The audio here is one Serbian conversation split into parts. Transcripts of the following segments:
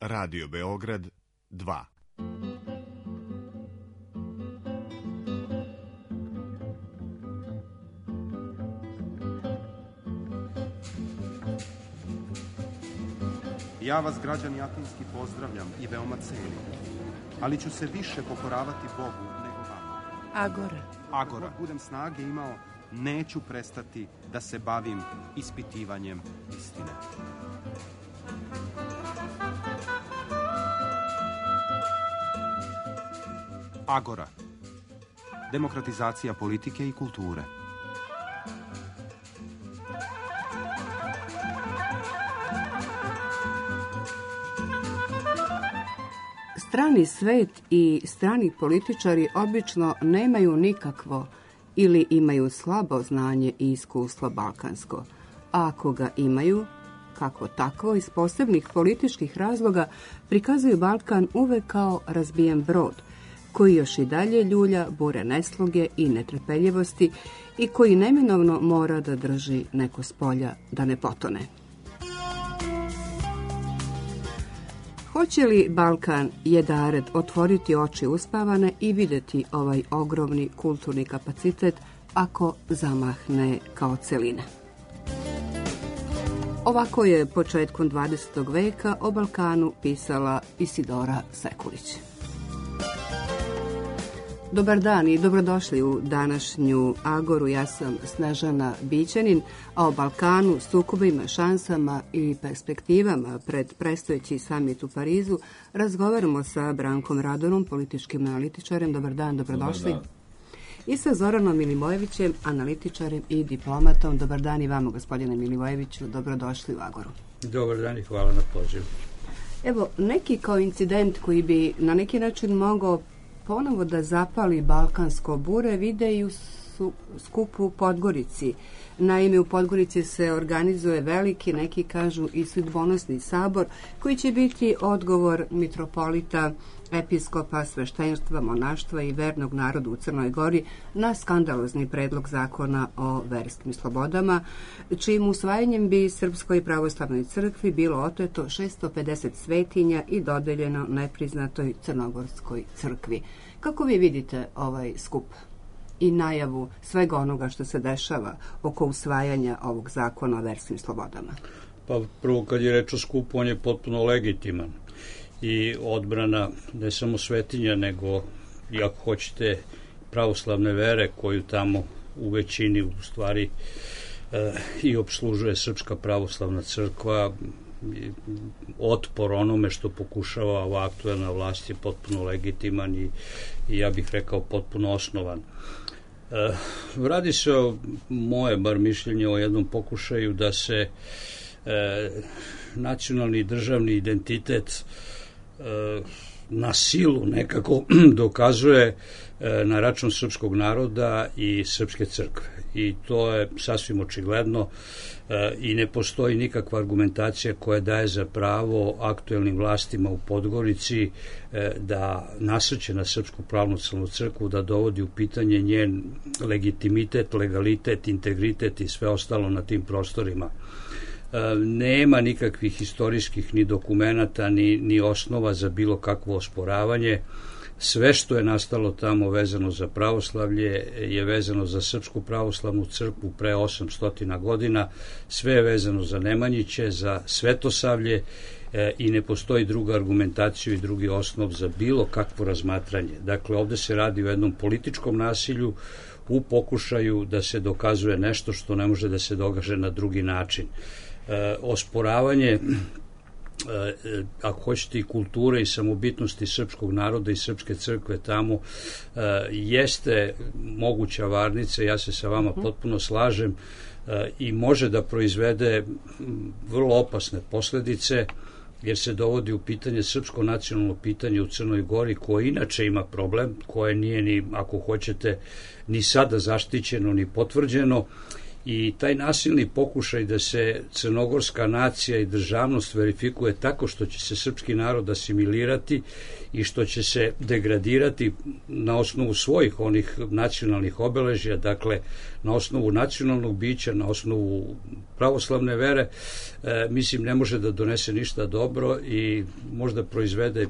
Radio Beograd 2. Ja vas, građani Atinski, pozdravljam i veoma cenim, ali ću se više pokoravati Bogu nego vama. Agora. Dok budem snage imao, neću prestati da se bavim ispitivanjem istine. Agora. Demokratizacija politike i kulture. Strani svet i strani političari obično nemaju nikakvo ili imaju slabo znanje i iskustvo balkansko, a ako ga imaju, kako tako, iz posebnih političkih razloga prikazuju Balkan uvek kao razbijen brod, koji još i dalje ljulja bure nesloge i netrpeljivosti i koji neminovno mora da drži neko s polja da ne potone. Hoće li Balkan jedared otvoriti oči uspavane i vidjeti ovaj ogromni kulturni kapacitet ako zamahne kao celina? Ovako je početkom 20. veka o Balkanu pisala Isidora Sekulić. Dobar dan i dobrodošli u današnju Agoru. Ja sam Snežana Bićanin, a o Balkanu, sukobima, šansama i perspektivama pred predstojeći samit u Parizu razgovaramo sa Brankom Radonom, političkim analitičarem. Dobar dan, dobrodošli. Dobar dan. I sa Zoranom Milivojevićem, analitičarem i diplomatom. Dobar dan i vama, gospodine Milivojeviću, dobrodošli u Agoru. Dobar dan i hvala na pozivu. Evo, neki kao incident koji bi na neki način mogao ponovo da zapali balkansko bure vide i u skupu u Podgorici. Naime, u Podgorici se organizuje veliki, neki kažu i sudbonosni sabor, koji će biti odgovor mitropolita, episkopa, sveštenstva, monaštva i vernog naroda u Crnoj Gori na skandalozni predlog zakona o verskim slobodama, čijim usvajanjem bi Srpskoj pravoslavnoj crkvi bilo oteto 650 svetinja i dodeljeno nepriznatoj Crnogorskoj crkvi. Kako vi vidite ovaj skup i najavu svega onoga što se dešava oko usvajanja ovog zakona o verskim slobodama? Pa prvo, kad je reč o skupu, on je potpuno legitiman i odbrana ne samo svetinja, nego i ako hoćete pravoslavne vere koju tamo u većini u stvari i obslužuje Srpska pravoslavna crkva. Otpor onome što pokušava ova aktuelna vlast je potpuno legitiman i ja bih rekao potpuno osnovan. Radi se o moje bar mišljenje o jednom pokušaju da se nacionalni državni identitet na silu nekako dokazuje na račun srpskog naroda i srpske crkve. I to je sasvim očigledno i ne postoji nikakva argumentacija koja daje za pravo aktuelnim vlastima u Podgorici da nasrće na Srpsku pravoslavnu crkvu, da dovodi u pitanje njen legitimitet, legalitet, integritet i sve ostalo na tim prostorima. Nema nikakvih istorijskih ni dokumenata, ni osnova za bilo kakvo osporavanje. Sve što je nastalo tamo vezano za pravoslavlje je vezano za Srpsku pravoslavnu crkvu pre 800 godina, sve je vezano za Nemanjiće, za Svetosavlje i ne postoji druga argumentacija i drugi osnov za bilo kakvo razmatranje. Dakle, ovde se radi o jednom političkom nasilju u pokušaju da se dokazuje nešto što ne može da se dokaže na drugi način. Osporavanje, ako hoćete, i kulture i samobitnosti srpskog naroda i srpske crkve tamo jeste moguća varnica, ja se sa vama potpuno slažem, i može da proizvede vrlo opasne posledice, jer se dovodi u pitanje srpsko nacionalno pitanje u Crnoj Gori, koje inače ima problem, koje nije ni, ako hoćete, ni sada zaštićeno ni potvrđeno. I taj nasilni pokušaj da se crnogorska nacija i državnost verifikuje tako što će se srpski narod asimilirati i što će se degradirati na osnovu svojih onih nacionalnih obeležja, dakle na osnovu nacionalnog bića, na osnovu pravoslavne vere, mislim ne može da donese ništa dobro i možda proizvede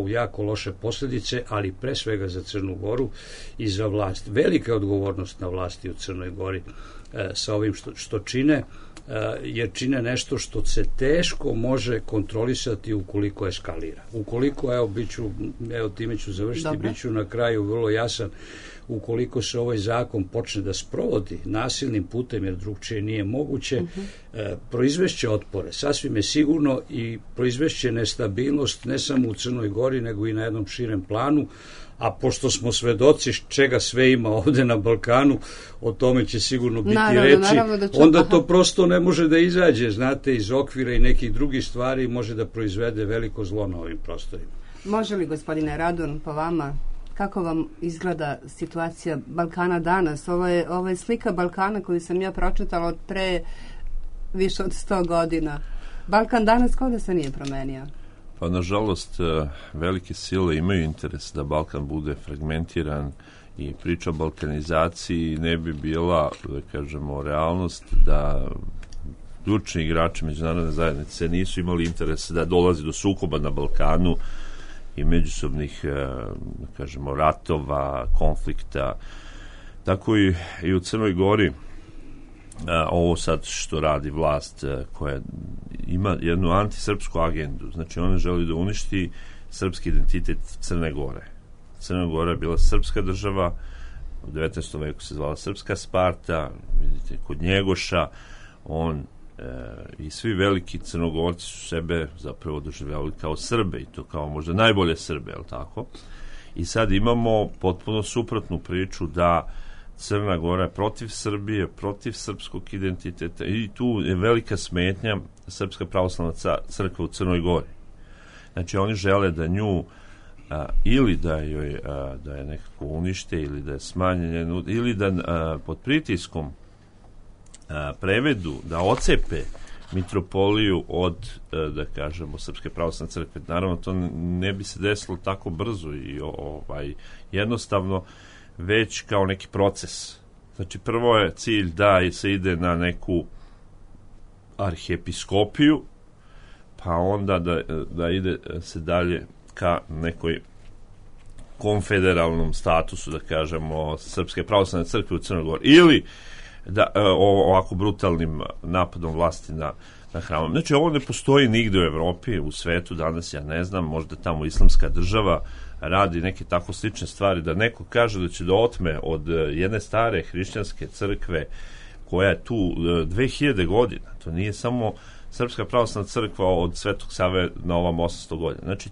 jako loše posljedice, ali pre svega za Crnu Goru i za vlast. Velika je odgovornost na vlasti u Crnoj Gori sa ovim što čine, jer čine nešto što se teško može kontrolisati ukoliko eskalira. Ukoliko, time ću završiti, biću na kraju vrlo jasan, ukoliko se ovaj zakon počne da sprovodi nasilnim putem, jer drugčije nije moguće, proizvešće otpore, sasvim je sigurno, i proizvešće nestabilnost ne samo u Crnoj Gori, nego i na jednom širem planu, a pošto smo svedoci čega sve ima ovde na Balkanu, o tome će sigurno biti reči, onda to prosto ne može da izađe, znate, iz okvira i nekih drugih stvari, može da proizvede veliko zlo na ovim prostorima. Može li, gospodine Radun, po vama, kako vam izgleda situacija Balkana danas? Ovo je slika Balkana koju sam ja pročitala od pre više od 100 godina. Balkan danas kao da se nije promenio. Pa, nažalost, velike sile imaju interes da Balkan bude fragmentiran i priča o balkanizaciji ne bi bila, da kažemo, realnost da ključni igrači međunarodne zajednice nisu imali interes da dolazi do sukoba na Balkanu i međusobnih, da kažemo, ratova, konflikta. Tako i u Crnoj Gori ovo sad što radi vlast koja ima jednu antisrpsku agendu, znači ona želi da uništi srpski identitet Crne Gore. Crna Gora je bila srpska država, u 19. veku se zvala Srpska Sparta, vidite, kod Njegoša, on i svi veliki Crnogorci su sebe zapravo doživljavali kao Srbe, i to kao možda najbolje Srbe, je li tako? I sad imamo potpuno suprotnu priču da Crna Gora je protiv Srbije, protiv srpskog identiteta, i tu je velika smetnja Srpska pravoslavna crkva u Crnoj Gori. Znači oni žele da nju ili da je nekako unište, ili da je smanjenje, ili da pod pritiskom prevedu, da ocepe mitropoliju od, da kažemo, Srpske pravoslavne crkve. Naravno, to ne bi se desilo tako brzo i jednostavno, već kao neki proces. Znači, prvo je cilj da se ide na neku arhiepiskopiju, pa onda da ide se dalje ka nekoj konfederalnom statusu, da kažemo, Srpske pravoslavne crkve u Crnoj Gori. Ili da ovako brutalnim napadom vlasti na hramom. Znači, ovo ne postoji nigde u Evropi, u svetu danas, ja ne znam, možda tamo islamska država radi neke tako slične stvari, da neko kaže da će da otme od jedne stare hrišćanske crkve koja je tu 2000 godina. To nije samo Srpska pravoslavna crkva od Svetog Save na ovom 800 godina. Znači,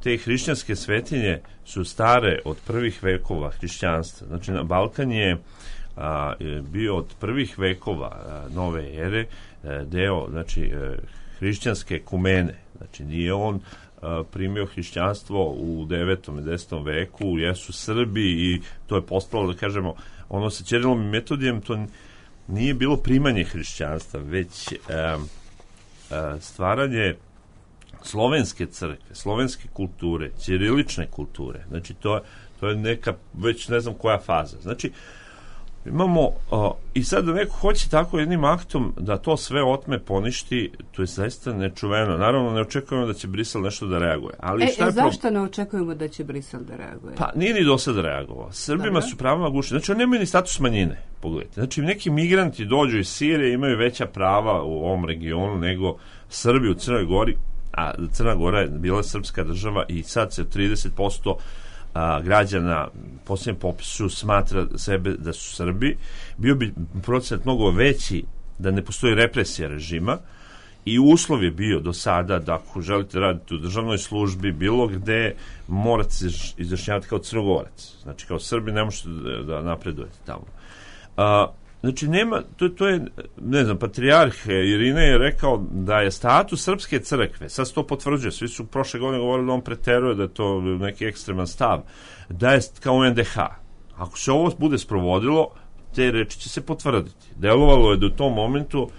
te hrišćanske svetinje su stare od prvih vekova hrišćanstva. Znači, Balkan je bio od prvih vekova nove ere deo, znači, hrišćanske ekumene. Znači, nije on primio hrišćanstvo u 9. i 10. veku, jesu Srbi i to je postalo, da kažemo, ono sa Ćirilom i Metodijem, to nije bilo primanje hrišćanstva, već stvaranje slovenske crkve, slovenske kulture, ćirilične kulture. Znači, to je neka, već ne znam koja faza. Znači, imamo, i sad da neko hoće tako jednim aktom da to sve otme, poništi, to je zaista nečuveno. Naravno, ne očekujemo da će Brisel nešto da reaguje. Ali zašto ne očekujemo da će Brisel da reaguje? Pa, nije ni do sada reagovao. Srbima su prava gušena. Znači, oni nemaju ni status manjine, pogledajte. Znači, neki migranti dođu iz Sirije, imaju veća prava u ovom regionu nego Srbi u Crnoj Gori, a Crna Gora je bila srpska država i sad se 30% građana posljednjem popisu smatra sebe da su Srbi. Bio bi procenat mnogo veći da ne postoji represija režima i uslov je bio do sada da ako želite raditi u državnoj službi bilo gde, morate se izjašnjavati kao Crnogorac. Znači, kao Srbi ne možete da napredujete tamo. Znači, nema, to je, ne znam, patrijarh Irine je rekao da je status srpske crkve, sad se to potvrđuje, svi su prošle godine govorili da on preteruje, da je to neki ekstreman stav, da je kao NDH. Ako se ovo bude sprovodilo, te reči će se potvrditi. Delovalo je do tom momentu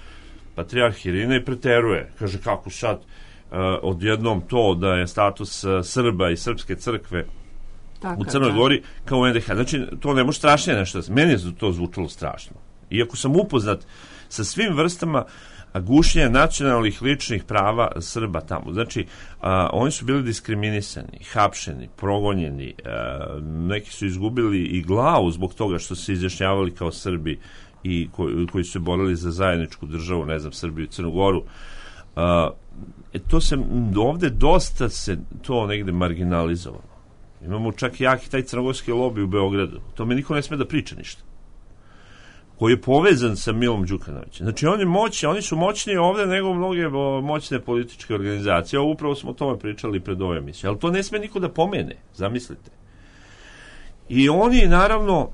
patrijarh Irinej preteruje. Kaže, kako sad odjednom to da je status Srba i Srpske crkve u Crnoj Gori kao u NDH. Znači, to ne može strašnije nešto. Meni je to zvučalo strašno. Iako sam upoznat sa svim vrstama gušenja nacionalnih ličnih prava Srba tamo. Znači, oni su bili diskriminisani, hapšeni, progonjeni, neki su izgubili i glavu zbog toga što se izjašnjavali kao Srbi i koji su se borili za zajedničku državu, ne znam, Srbiju i Crnu Goru. To se ovde dosta se to negde marginalizovalo. Imamo čak jaki taj crnogorski lobby u Beogradu. To me niko ne sme da priča ništa. Koji je povezan sa Milom Đukanovićem. Znači, oni su moćniji ovde nego mnoge moćne političke organizacije. Upravo smo o tome pričali pred ove emisije. Ali to ne sme niko da pomene, zamislite. I oni, naravno,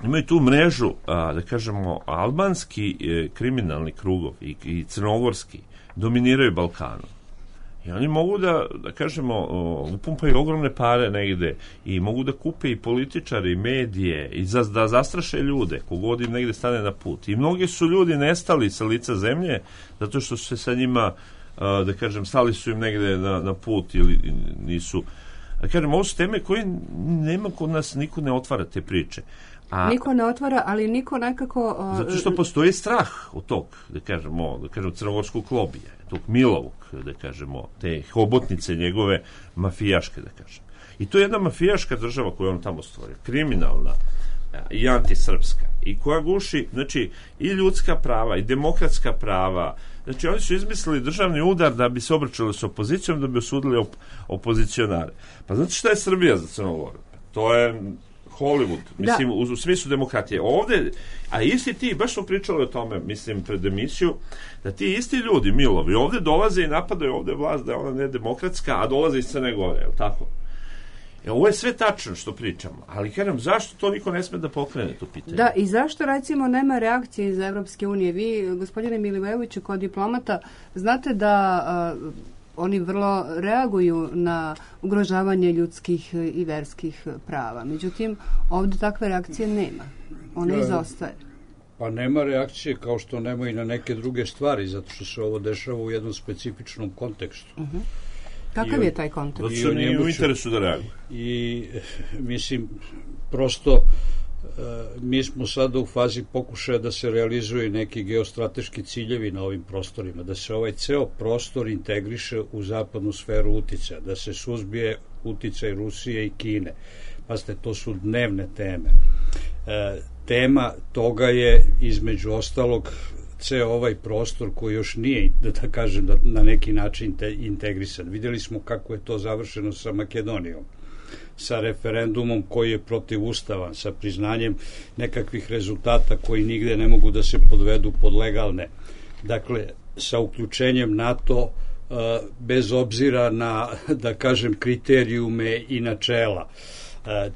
imaju tu mrežu, da kažemo, albanski kriminalni krugov i crnogorski dominiraju Balkanom. I oni mogu da kažemo, upumpaju ogromne pare negde i mogu da kupe i političare i medije i da zastraše ljude kogod im negde stane na put. I mnogi su ljudi nestali sa lica zemlje zato što su se sa njima, da kažem, stali su im negde na put ili nisu. Da kažem, ovo su teme koje nema kod nas, niko ne otvara te priče. Niko ne otvara, ali niko nekako... Zato što postoji strah od tog, da kažemo, crnogorskog lobija, tog Milovog, da kažemo, te hobotnice njegove mafijaške, da kažem. I to je jedna mafijaška država koju on tamo stvorio, kriminalna i antisrpska, i koja guši, znači, i ljudska prava, i demokratska prava. Znači, oni su izmislili državni udar da bi se obračali s opozicijom, da bi osudili opozicionare. Pa znate šta je Srbija za Crnogoru? To je Hollywood, mislim, u smislu demokratije. Ovde, a isti ti, baš smo pričali o tome, mislim, pred emisiju, da ti isti ljudi, Milovi, ovde dolaze i napadaju ovde vlast da je ona nedemokratska, a dolaze iz Crne Gore, je li tako? Ovo je sve tačno što pričamo, ali kažem, zašto to niko ne sme da pokrene to pitanje? Da, i zašto, recimo, nema reakcije iz Evropske unije? Vi, gospodine Milivojeviću, kao diplomata, znate da oni vrlo reaguju na ugrožavanje ljudskih i verskih prava. Međutim, ovdje takve reakcije nema. Ona izostaje. Pa nema reakcije kao što nema i na neke druge stvari, zato što se ovo dešava u jednom specifičnom kontekstu. Kakav je taj kontekst? Zato što nije u interesu da reaguje. I, mislim, prosto mi smo sada u fazi pokušaja da se realizuju neki geostrateški ciljevi na ovim prostorima, da se ovaj ceo prostor integriše u zapadnu sferu uticaja, da se suzbije uticaj Rusije i Kine. Pazite, to su dnevne teme. Tema toga je, između ostalog, ceo ovaj prostor koji još nije, da kažem, na neki način integrisan. Vidjeli smo kako je to završeno sa Makedonijom, sa referendumom koji je protivustavan, sa priznanjem nekakvih rezultata koji nigde ne mogu da se podvedu pod legalne. Dakle, sa uključenjem NATO bez obzira na, da kažem, kriterijume i načela.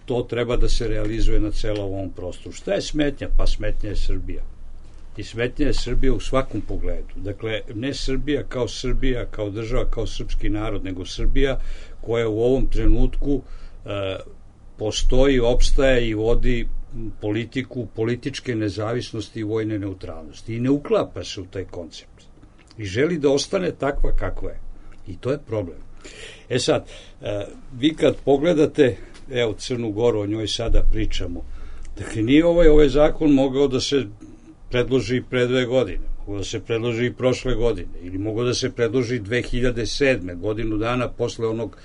To treba da se realizuje na celom ovom prostoru. Šta je smetnja? Pa smetnja je Srbija. I smetnja je Srbija u svakom pogledu. Dakle, ne Srbija, kao država, kao srpski narod, nego Srbija koja u ovom trenutku postoji, opstaje i vodi politiku političke nezavisnosti i vojne neutralnosti. I ne uklapa se u taj koncept. I želi da ostane takva kakva je. I to je problem. E sad, vi kad pogledate, evo, Crnu Goru, o njoj sada pričamo, dakle, nije ovaj zakon mogao da se predloži pre 2 godine, mogao da se predloži i prošle godine, ili mogao da se predloži 2007. godinu dana posle onog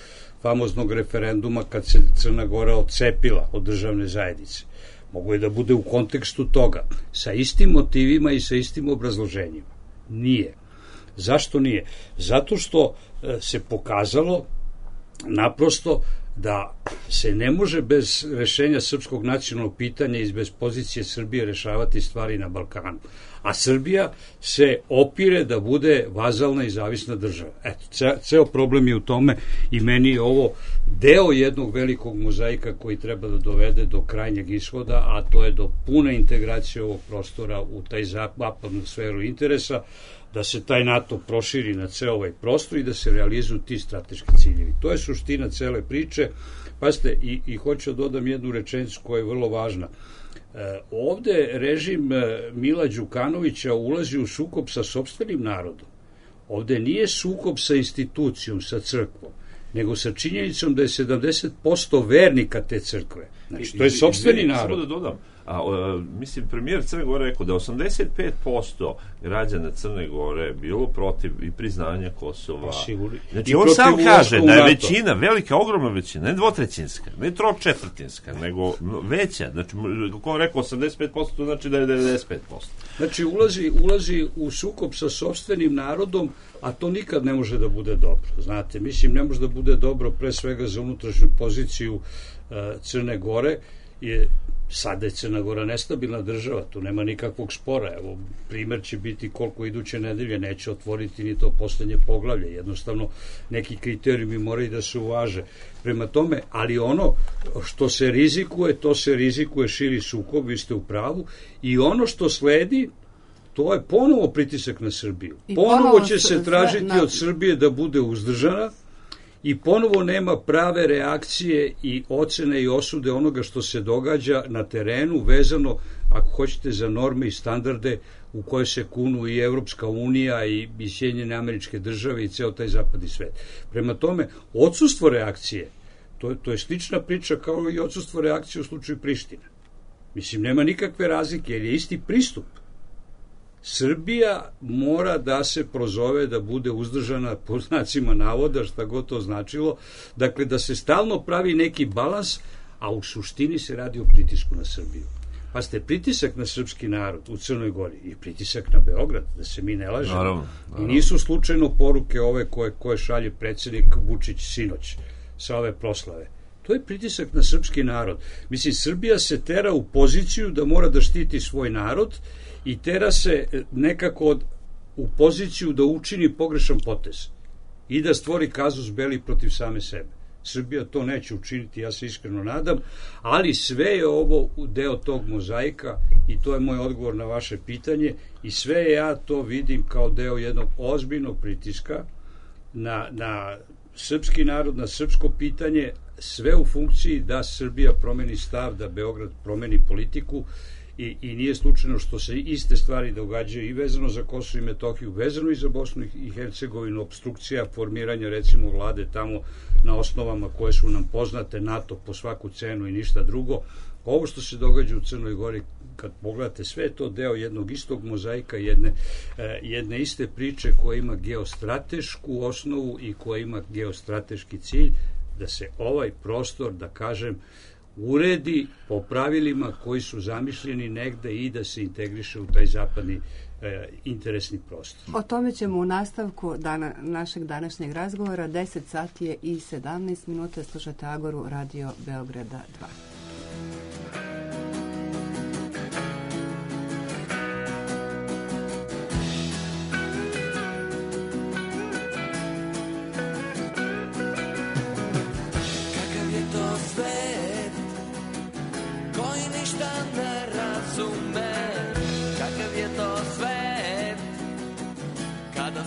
famoznog referenduma kad se Crna Gora odcepila od državne zajednice. Mogu je da bude u kontekstu toga, sa istim motivima i sa istim obrazloženjima. Nije. Zašto nije? Zato što se pokazalo naprosto da se ne može bez rešenja srpskog nacionalnog pitanja i bez pozicije Srbije rešavati stvari na Balkanu. A Srbija se opire da bude vazalna i zavisna država. Eto, ceo problem je u tome i meni je ovo deo jednog velikog mozaika koji treba da dovede do krajnjeg ishoda, a to je do pune integracije ovog prostora u taj zapadnu sferu interesa, da se taj NATO proširi na ceo ovaj prostor i da se realizuju ti strateški ciljevi. To je suština cele priče. Pazite, i hoću da dodam jednu rečenicu koja je vrlo važna. Ovde režim Mila Đukanovića ulazi u sukob sa sopstvenim narodom. Ovde nije sukob sa institucijom, sa crkvom, nego sa činjenicom da je 70% vernika te crkve. Znači, to je sopstveni narod. Samo da dodam, mislim, premijer Crne Gore rekao da 85% građana Crne Gore bilo protiv i priznanja Kosova. Znači, on sam kaže da je većina, velika, ogromna većina, ne dvotrećinska, ne tročetvrtinska, nego veća. Znači, ko je rekao 85%, to znači da je 95%. Znači, ulazi u sukob sa sopstvenim narodom, a to nikad ne može da bude dobro. Znate, mislim, ne može da bude dobro pre svega za unutrašnju poziciju Crne Gore, sada je Crna Gora nestabilna država, tu nema nikakvog spora. Evo, primer će biti koliko iduće nedelje neće otvoriti ni to poslednje poglavlje. Jednostavno, neki kriterijumi moraju da se uvaže. Prema tome, ali ono što se rizikuje, to se rizikuje širi sukob, vi ste u pravu, i ono što sledi, to je ponovo pritisak na Srbiju. Ponovo će se tražiti od Srbije da bude uzdržana, i ponovo nema prave reakcije i ocene i osude onoga što se događa na terenu, vezano, ako hoćete, za norme i standarde u koje se kunu i Evropska unija i Sjedinjene Američke Države i ceo taj zapadni svet. Prema tome, odsustvo reakcije, to je slična priča kao i odsustvo reakcije u slučaju Prištine. Mislim, nema nikakve razlike, jer je isti pristup. Srbija mora da se prozove da bude uzdržana, po znacima navoda, šta god to značilo, dakle da se stalno pravi neki balans, a u suštini se radi o pritisku na Srbiju. Pa ste pritisak na srpski narod u Crnoj Gori i pritisak na Beograd, da se mi ne lažemo. Naravno. I nisu slučajno poruke ove koje šalje predsjednik Vučić sinoć sa ove proslave. To je pritisak na srpski narod. Mislim, Srbija se tera u poziciju da mora da štiti svoj narod i tera se nekako u poziciju da učini pogrešan potez i da stvori kazus belli protiv same sebe. Srbija to neće učiniti, ja se iskreno nadam, ali sve je ovo deo tog mozaika i to je moj odgovor na vaše pitanje i sve ja to vidim kao deo jednog ozbiljnog pritiska na srpski narod, na srpsko pitanje, sve u funkciji da Srbija promeni stav, da Beograd promeni politiku i nije slučajno što se iste stvari događaju i vezano za Kosovo i Metohiju, vezano i za Bosnu i Hercegovinu, obstrukcija formiranja recimo vlade tamo na osnovama koje su nam poznate, NATO po svaku cenu i ništa drugo. Ovo što se događa u Crnoj Gori, kad pogledate, sve je to deo jednog istog mozaika, jedne iste priče koja ima geostratešku osnovu i koja ima geostrateški cilj, da se ovaj prostor, da kažem, uredi po pravilima koji su zamišljeni negde i da se integriše u taj zapadni interesni prostor. O tome ćemo u nastavku našeg današnjeg razgovora. 10 sati je i 17 minuta. Slušate Agoru, Radio Beograda 2.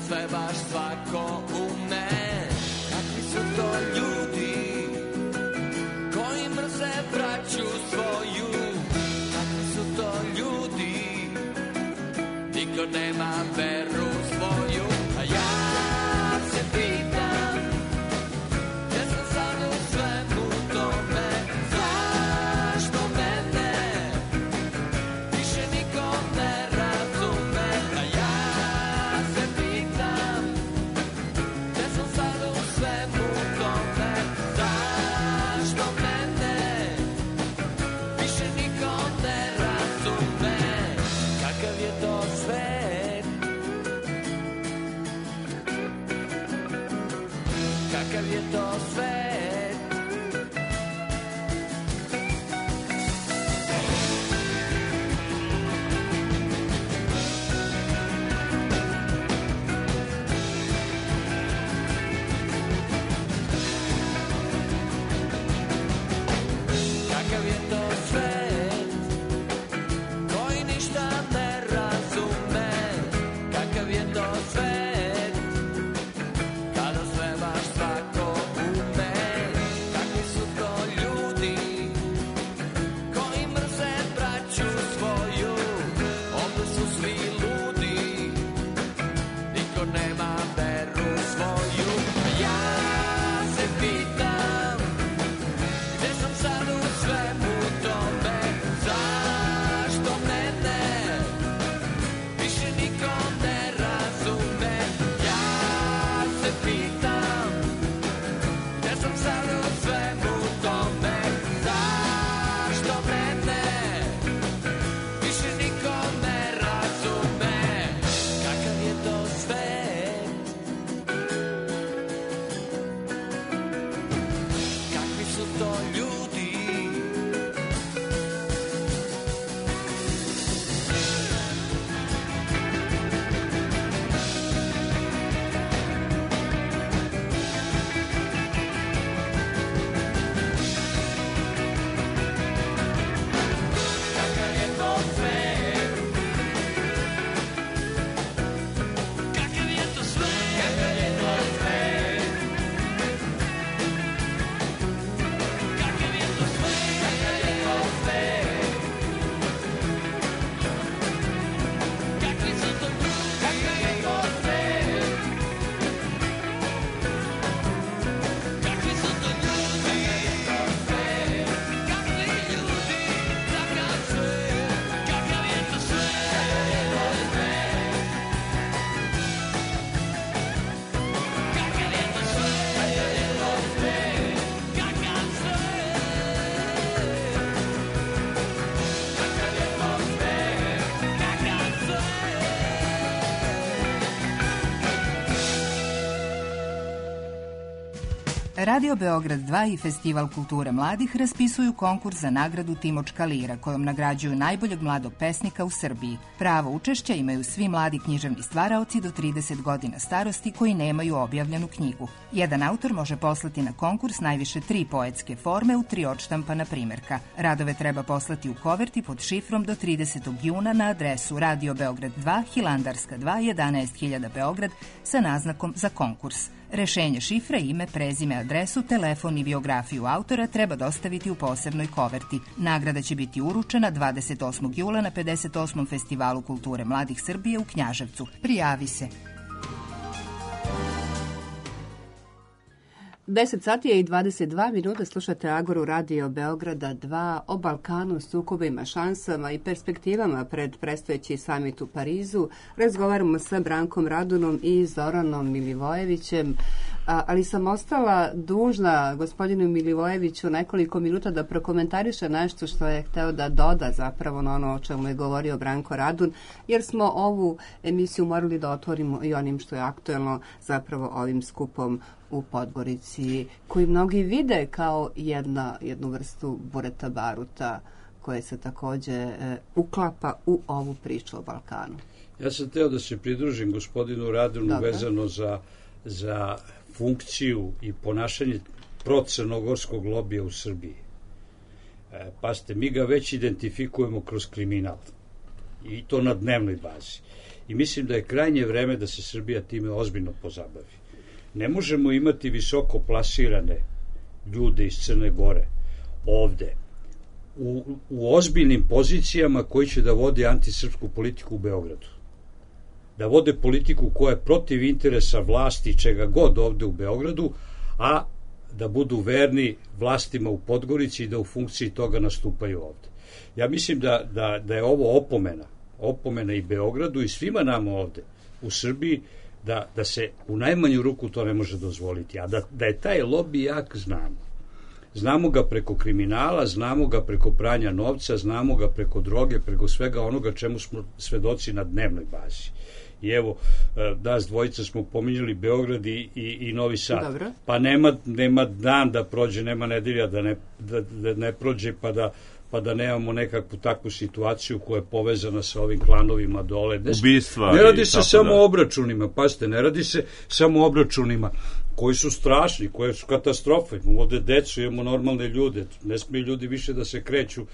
Sve baš svako ume. Kakvi su to ljudi koji mrze braću svoju? Kakvi su to ljudi, niko nema veru svoju. A ja se pitam, gdje sam sad u svemu tome? Zašto mene više niko ne razume? A ja se pitam, gdje sam sad u svemu tome? Zašto mene više niko ne razume? Kakav je to svet? Kakav je to svet? Kakav je to svet koji ništa ne razume? Kakav je to svet kada sve baš svako ume? Radio Beograd 2 i Festival kulture mladih raspisuju konkurs za nagradu Timočka lira, kojom nagrađuju najboljeg mladog pesnika u Srbiji. Pravo učešća imaju svi mladi književni stvaraoci do 30 godina starosti koji nemaju objavljenu knjigu. Jedan autor može poslati na konkurs najviše 3 poetske forme u 3 odštampana primjerka. Radove treba poslati u koverti pod šifrom do 30. juna na adresu Radio Beograd 2, Hilandarska 2, 11.000 Beograd sa naznakom za konkurs. Rešenje šifre, ime, prezime, adresu, telefon i biografiju autora treba dostaviti u posebnoj koverti. Nagrada će biti uručena 28. jula na 58. Festivalu kulture mladih Srbije u Knjaževcu. Prijavi se. 10 sati je i 22 minuta, slušate Agoru Radio Beograda 2 o Balkanu, sukobima, šansama i perspektivama pred predstojeći samit u Parizu. Razgovaramo sa Brankom Radunom i Zoranom Milivojevićem, ali sam ostala dužna gospodinu Milivojeviću nekoliko minuta da prokomentariše nešto što je hteo da doda zapravo na ono o čemu je govorio Branko Radun, jer smo ovu emisiju morali da otvorimo i onim što je aktuelno, zapravo ovim skupom u Podgorici, koji mnogi vide kao jednu vrstu bureta baruta koje se takođe uklapa u ovu priču o Balkanu. Ja sam teo da se pridružim gospodinu Radunu vezano za funkciju i ponašanje procrnogorskog lobija u Srbiji. Pazite, mi ga već identifikujemo kroz kriminal i to na dnevnoj bazi. I mislim da je krajnje vreme da se Srbija time ozbiljno pozabavi. Ne možemo imati visoko plasirane ljude iz Crne Gore ovde u ozbiljnim pozicijama koji će da vode antisrpsku politiku u Beogradu. Da vode politiku koja je protiv interesa vlasti čega god ovde u Beogradu, a da budu verni vlastima u Podgorici i da u funkciji toga nastupaju ovde. Ja mislim da je ovo opomena i Beogradu i svima nama ovde u Srbiji, da se u najmanju ruku to ne može dozvoliti. A da je taj lobby jak, znamo. Znamo ga preko kriminala, znamo ga preko pranja novca, znamo ga preko droge, preko svega onoga čemu smo svedoci na dnevnoj bazi. I evo, nas dvojica smo pominjali Beograd i Novi Sad. Dobro. Pa nema dan da prođe, nema nedelja da ne prođe, pa da nemamo nekakvu takvu situaciju koja je povezana sa ovim klanovima dole. Ubistva. Ne radi se samo o obračunima, pazite, ne radi se samo o obračunima koji su strašni, koje su katastrofe. Imamo ovde decu, imamo normalne ljude, ne smiju ljudi više da se kreću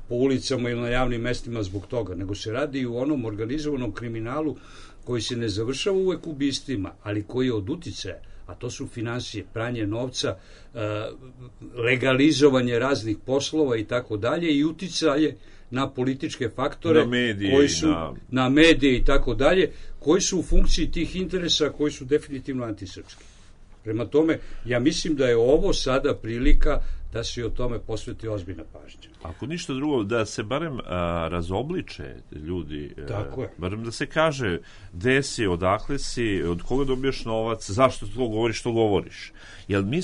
po ulicama ili na javnim mestima zbog toga, nego se radi i u onom organizovanom kriminalu koji se ne završava uvek ubistvima, ali koji je od uticaja, a to su finansije, pranje novca, legalizovanje raznih poslova i tako dalje i uticaje na političke faktore, na medije i tako dalje, koji su u funkciji tih interesa koji su definitivno antisrpski. Prema tome, ja mislim da je ovo sada prilika da se o tome posveti ozbiljna pažnja. Ako ništa drugo, da se barem razobliče ljudi, barem da se kaže gde si, odakle si, od koga dobijaš novac, zašto to govoriš, što govoriš. Jer mi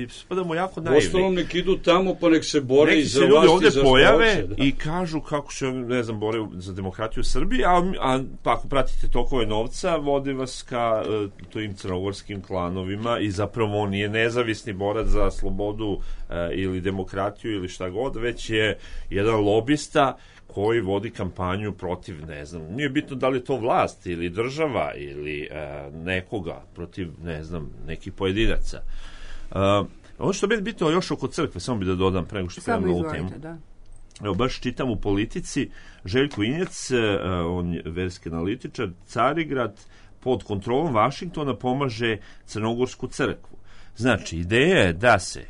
spadamo jako naivni. Ostalom nek idu tamo pa nek se bore i za vlast i za ljudi ovde pojave i kažu kako se, ne znam, bore za demokratiju u Srbiji, a pa ako pratite tokove novca, vode vas ka tojim crnogorskim klanovima i zapravo on nije nezavisni borac za slobodu ili demokratiju ili šta god, već je jedan lobista koji vodi kampanju protiv, ne znam, nije bitno da li je to vlast ili država ili nekoga, protiv, ne znam, nekih pojedinaca. Ono što je bitno još oko crkve, samo bi da dodam pre nego što krenemo na ovu temu. Evo, baš čitam u Politici, Željko Injac, on je verski analitičar, Carigrad pod kontrolom Vašingtona pomaže Crnogorsku crkvu. Znači, ideja je da se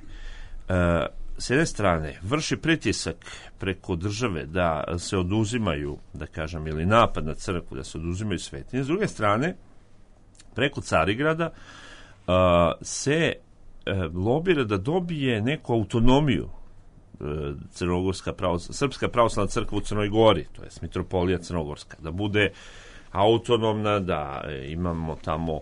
s jedne strane vrši pritisak preko države da se oduzimaju, da kažem, ili napad na crkvu, da se oduzimaju svetinje. S druge strane, preko Carigrada se lobira da dobije neku autonomiju Srpska pravoslavna crkva u Crnoj Gori, to je mitropolija Crnogorska, da bude autonomna, da imamo tamo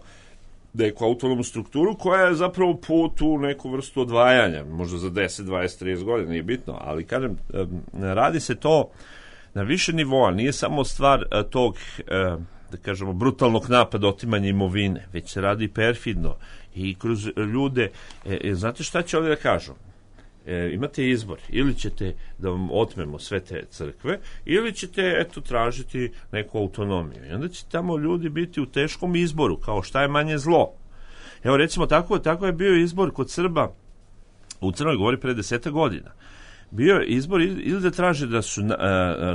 neku autonomnu strukturu koja je zapravo put u neku vrstu odvajanja, možda za 10, 20, 30 godina, nije bitno, ali kažem, radi se to na više nivoa, nije samo stvar tog da kažemo, brutalnog napada, otimanja imovine, već se radi perfidno i kroz ljude. Znate šta će ovdje da kažu? Imate izbor, ili ćete da vam otmemo sve te crkve, ili ćete tražiti neku autonomiju. I onda će tamo ljudi biti u teškom izboru, kao šta je manje zlo. Evo recimo, tako je bio izbor kod Srba u Crnoj Gori pre 10 godina. Bio je izbor ili da traže da su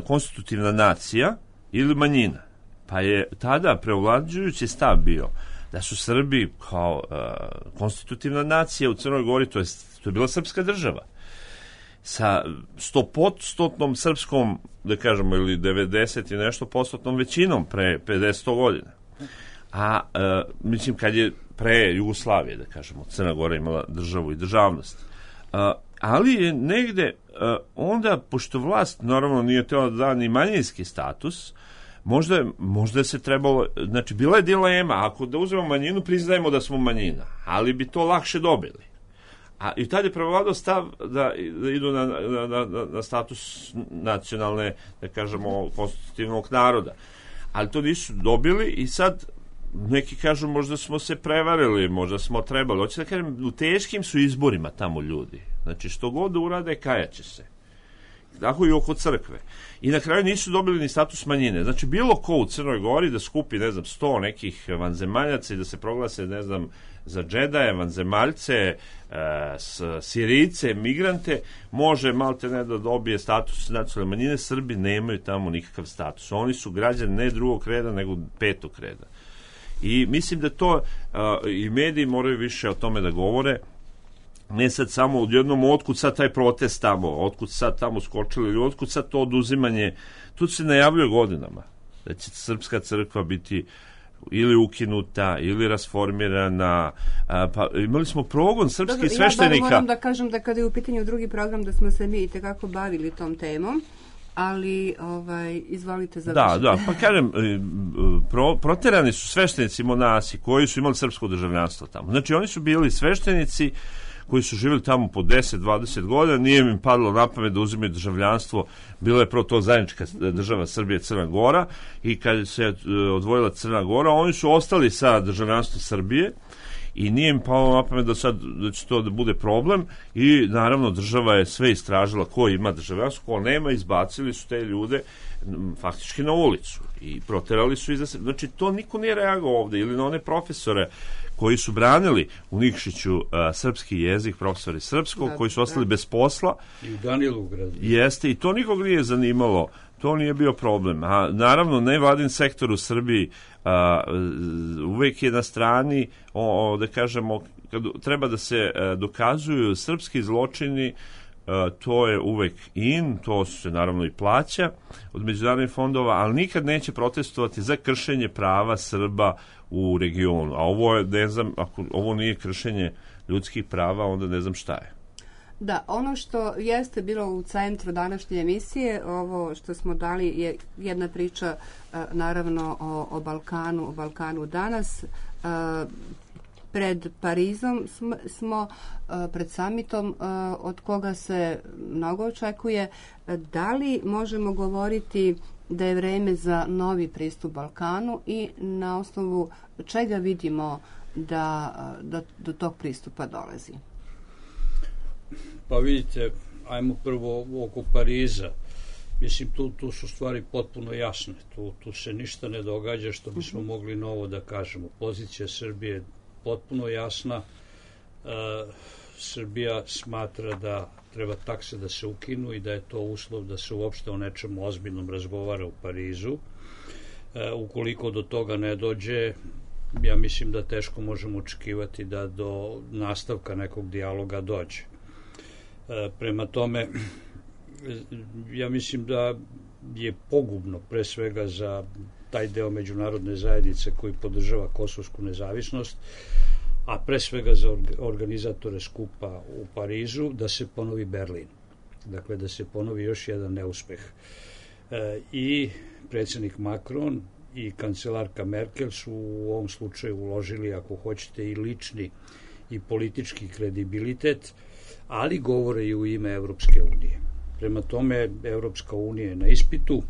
konstitutivna nacija ili manjina. Pa je tada preovlađujući stav bio da su Srbi kao konstitutivna nacija u Crnoj Gori, to je bila srpska država sa 100% srpskom, da kažemo, ili 90 i nešto % većinom pre 50 godina. A mislim, kad je pre Jugoslavije, da kažemo, Crna Gora imala državu i državnost. Ali je negde onda, pošto vlast naravno nije tela da da ni manjinski status, možda se trebalo, znači bila je dilema, ako da uzmemo manjinu, priznajemo da smo manjina, ali bi to lakše dobili. I tad je prevladao stav da idu na status nacionalne, da kažemo, konstitutivnog naroda. Ali to nisu dobili i sad neki kažu možda smo se prevarili, možda smo trebali. Hoće da kažem, u teškim su izborima tamo ljudi. Znači što god urade, kajaće se. Tako i oko crkve. I na kraju nisu dobili ni status manjine. Znači bilo ko u Crnoj Gori da skupi, 100 nekih vanzemaljaca i da se proglase, za džedaje, vanzemaljce, Sirijce, migrante, može malte ne da dobije status nacionalne manjine. Srbi nemaju tamo nikakav status. Oni su građani ne drugog reda, nego 5. reda. I mislim da to i mediji moraju više o tome da govore. Ne sad samo odjednom, otkud sad taj protest tamo, otkud sad tamo skočili, ili otkud sad to oduzimanje. Tu se najavljuje godinama da će srpska crkva biti ili ukinuta, ili rasformirana. Pa imali smo progon srpskih sveštenika. Ja moram da kažem da kada je u pitanju drugi program, da smo se mi i tekako bavili tom temom, ali izvolite završiti. Da, pa kažem, proterani su sveštenici monasi koji su imali srpsko državljanstvo tamo. Znači oni su bili sveštenici koji su živjeli tamo po 10-20 godina, nije im padlo na pamet da uzimaju državljanstvo, bila je prvo to zajednička država Srbije, Crna Gora, i kad se odvojila Crna Gora, oni su ostali sa državljanstvom Srbije i nije im palo na pamet da će to da bude problem, i naravno država je sve istražila ko ima državljanstvo, ko nema, izbacili su te ljude faktički na ulicu i proterali su iza sebe. Znači to niko nije reagovao ovde, ili na one profesore koji su branili u Nikšiću srpski jezik, profesori srpskog, koji su ostali bez posla. I u Danilovgradu. Jeste, i to nikog nije zanimalo, to nije bio problem. A naravno, nevladin sektor u Srbiji uvek je na strani, da kažemo, kad treba da se dokazuju srpski zločini, to je uvek to se naravno i plaća od međunarodnih fondova, ali nikad neće protestovati za kršenje prava Srba u regionu. A ovo je, ne znam, ako ovo nije kršenje ljudskih prava, onda ne znam šta je. Da, ono što jeste bilo u centru današnje emisije, ovo što smo dali je jedna priča naravno o Balkanu danas. Pred Parizom smo, pred samitom od koga se mnogo očekuje. Da li možemo govoriti da je vreme za novi pristup Balkanu i na osnovu čega vidimo da do tog pristupa dolazi? Pa vidite, ajmo prvo oko Pariza. Mislim, tu su stvari potpuno jasne. Tu se ništa ne događa što bismo mogli novo da kažemo. Pozicija Srbije je potpuno jasna. Srbija smatra da treba takse da se ukinu i da je to uslov da se uopšte o nečemu ozbiljnom razgovara u Parizu. Ukoliko do toga ne dođe, ja mislim da teško možemo očekivati da do nastavka nekog dijaloga dođe. Prema tome, ja mislim da je pogubno pre svega za taj deo međunarodne zajednice koji podržava kosovsku nezavisnost, a pre svega za organizatore skupa u Parizu, da se ponovi Berlin. Dakle, da se ponovi još jedan neuspeh. I predsjednik Macron i kancelarka Merkel su u ovom slučaju uložili, ako hoćete, i lični i politički kredibilitet, ali govore i u ime Evropske unije. Prema tome, Evropska unija je na ispitu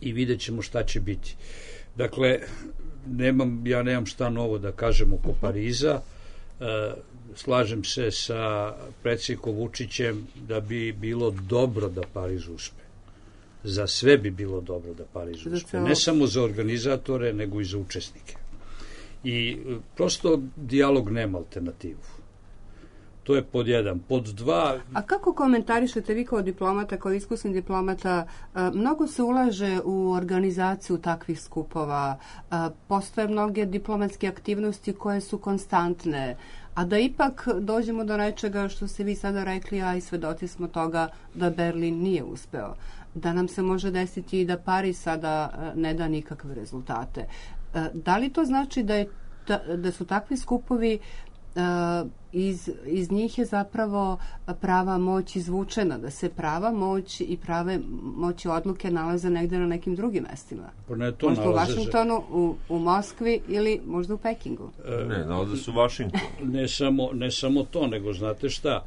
i vidjet ćemo šta će biti. Dakle, ja nemam šta novo da kažem oko Pariza. Slažem se sa predsjednikom Vučićem da bi bilo dobro da Pariz uspe. Za sve bi bilo dobro da Pariz uspe. Ne samo za organizatore, nego i za učesnike. I prosto dijalog nema alternativu. To je pod jedan. Pod dva... A kako komentarišete vi kao diplomata, kao iskusni diplomata, mnogo se ulaže u organizaciju takvih skupova, postoje mnoge diplomatske aktivnosti koje su konstantne, a da ipak dođemo do nečega što ste vi sada rekli, a i svedoci smo toga da Berlin nije uspeo. Da nam se može desiti i da Pariz sada ne da nikakve rezultate. Da li to znači da su takvi skupovi iz njih je zapravo prava moć izvučena, da se prava moć i prave moći odluke nalaze negde na nekim drugim mestima? Možda u Vašingtonu, u Moskvi ili možda u Pekingu? Ne, nalaze su u Vašingtonu. Ne samo to, nego znate šta,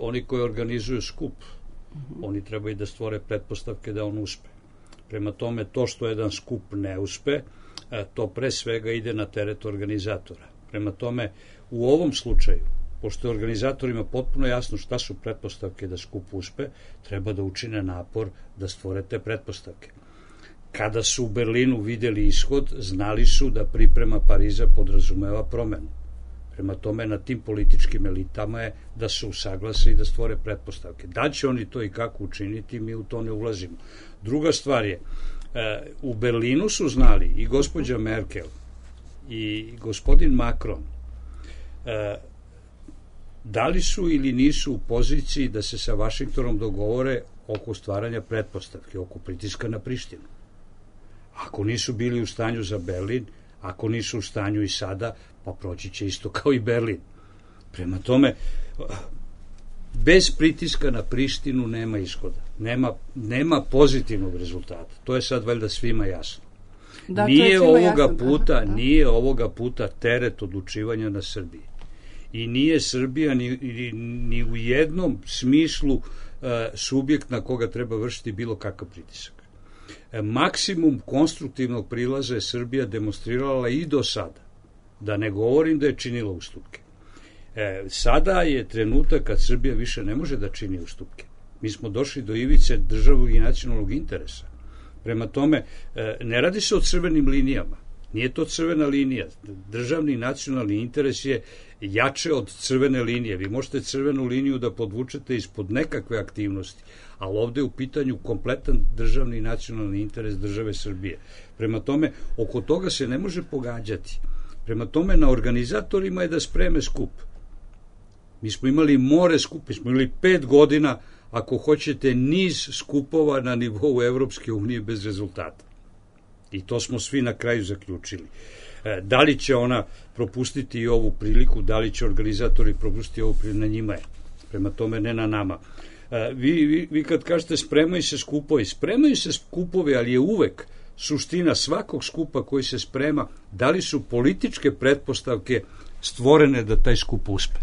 oni koji organizuju skup, oni trebaju da stvore pretpostavke da on uspe. Prema tome, to što jedan skup ne uspe, to pre svega ide na teret organizatora. Prema tome, u ovom slučaju, pošto je organizatorima potpuno jasno šta su pretpostavke da skup uspe, treba da učine napor da stvore te pretpostavke. Kada su u Berlinu videli ishod, znali su da priprema Pariza podrazumeva promenu. Prema tome, na tim političkim elitama je da se usaglase i da stvore pretpostavke. Da će oni to i kako učiniti, mi u to ne ulazimo. Druga stvar je, u Berlinu su znali i gospođa Merkel i gospodin Macron da li su ili nisu u poziciji da se sa Vašingtonom dogovore oko stvaranja pretpostavke, oko pritiska na Prištinu. Ako nisu bili u stanju za Berlin, ako nisu u stanju i sada, pa proći će isto kao i Berlin. Prema tome, bez pritiska na Prištinu nema ishoda. Nema pozitivnog rezultata. To je sad valjda svima jasno. Da, nije ovoga puta teret odlučivanja na Srbiji. I nije Srbija ni u jednom smislu subjekt na koga treba vršiti bilo kakav pritisak. Maksimum konstruktivnog prilaza je Srbija demonstrirala i do sada. Da ne govorim da je činila ustupke. Sada je trenutak kad Srbija više ne može da čini ustupke. Mi smo došli do ivice državnog i nacionalnog interesa. Prema tome, ne radi se o crvenim linijama. Nije to crvena linija. Državni i nacionalni interes je jače od crvene linije. Vi možete crvenu liniju da podvučete ispod nekakve aktivnosti, ali ovde je u pitanju kompletan državni i nacionalni interes države Srbije. Prema tome, oko toga se ne može pogađati. Prema tome, na organizatorima je da spreme skup. Mi smo imali more skup, mi smo imali 5 godina, ako hoćete, niz skupova na nivou Evropske unije bez rezultata. I to smo svi na kraju zaključili. Da li će ona propustiti i ovu priliku, da li će organizatori propustiti ovu priliku, na njima je. Prema tome, ne na nama. Vi kad kažete spremaju se skupovi, ali je uvek suština svakog skupa koji se sprema, da li su političke pretpostavke stvorene da taj skup uspe.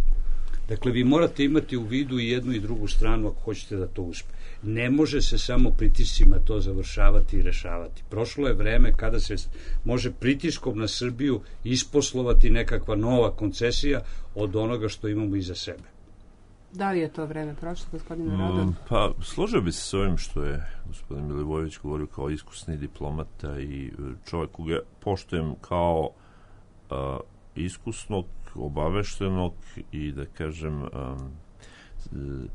Dakle, vi morate imati u vidu i jednu i drugu stranu ako hoćete da to uspe. Ne može se samo pritiscima to završavati i rešavati. Prošlo je vreme kada se može pritiskom na Srbiju isposlovati nekakva nova koncesija od onoga što imamo iza sebe. Da li je to vreme prošlo, gospodine Radan? Pa, složio bi se s ovim što je gospodin Milivojević govorio kao iskusni diplomata i čovjek koga poštujem kao iskusnog, obaveštenog i da kažem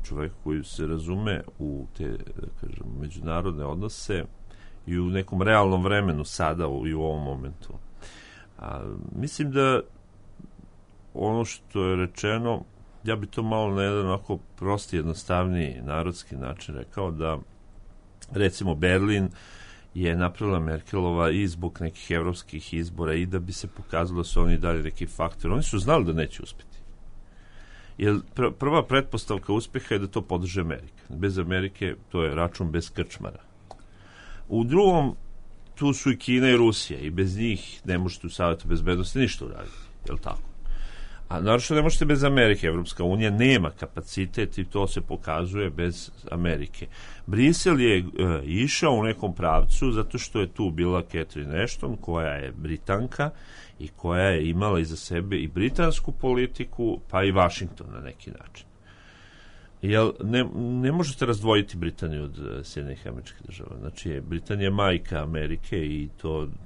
čovjek koji se razume u te, da kažem, međunarodne odnose i u nekom realnom vremenu sada i u ovom momentu. Mislim da ono što je rečeno, ja bi to malo na jedan onako prosti, jednostavniji narodski način rekao, da recimo Berlin je napravila Merkelova i zbog nekih evropskih izbora i da bi se pokazalo da su oni dali neki faktor. Oni su znali da neće uspeti. Jer prva pretpostavka uspeha je da to podrže Amerika. Bez Amerike to je račun bez krčmara. U drugom, tu su i Kina i Rusija i bez njih ne možete u Savetu bezbednosti ništa uraditi. Je li tako? A naravno ne možete bez Amerike. Evropska unija nema kapacitet i to se pokazuje bez Amerike. Brisel je išao u nekom pravcu zato što je tu bila Catherine Ashton, koja je Britanka i koja je imala iza sebe i britansku politiku, pa i Washington na neki način. Jer ne možete razdvojiti Britaniju od Sjedinjenih Američkih Država. Znači, Britanija je majka Amerike i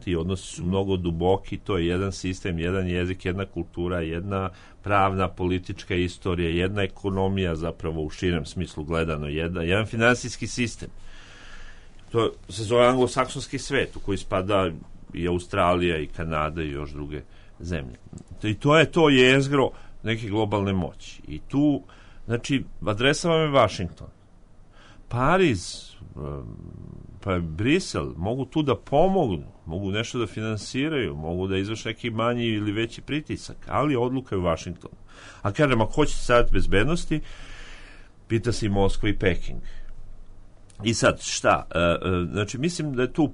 ti odnosi su mnogo duboki, to je jedan sistem, jedan jezik, jedna kultura, jedna pravna, politička istorija, jedna ekonomija zapravo u širem smislu gledano, jedan finansijski sistem. To se zove anglosaksonski svet u koji spada i Australija i Kanada i još druge zemlje. I to je to jezgro neke globalne moći. I tu, znači, adresa vam je Washington. Pariz, pa Brisel, mogu tu da pomognu, mogu nešto da finansiraju, mogu da izvrše neki manji ili veći pritisak, ali odluka je u Washingtonu. A kažem, ako hoćete Savet bezbednosti, pita se i Moskva i Peking. I sad, šta? Znači, mislim da je tu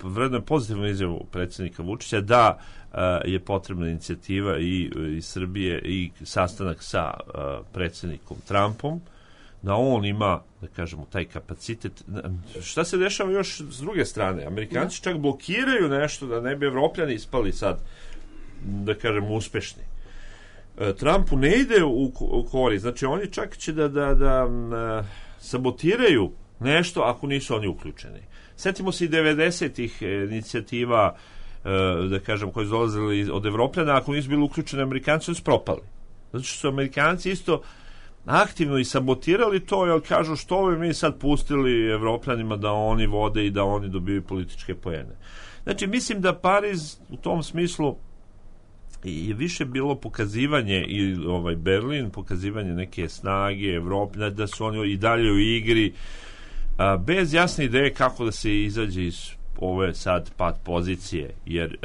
vredno je pozitivno izjavu predsjednika Vučića da je potrebna inicijativa i Srbije i sastanak sa predsjednikom Trumpom, da on ima, da kažemo, taj kapacitet. Šta se dešava još s druge strane? Amerikanci čak blokiraju nešto da ne bi Evropljani ispali sad, da kažemo, uspešni. Trumpu ne ide u korist. Znači, oni čak će da sabotiraju nešto ako nisu oni uključeni. Sjetimo se i 90-ih inicijativa, da kažem, koje su dolazili od Evropljana, ako nisu bili uključeni Amerikanci, oni su propali. Zato što su Amerikanci isto aktivno i sabotirali to, jer kažu što bi mi sad pustili Evropljanima da oni vode i da oni dobiju političke poene. Znači, mislim da Pariz u tom smislu je više bilo pokazivanje i Berlin, pokazivanje neke snage Evrope, da su oni i dalje u igri, bez jasne ideje kako da se izađe iz ove sad pad pozicije, jer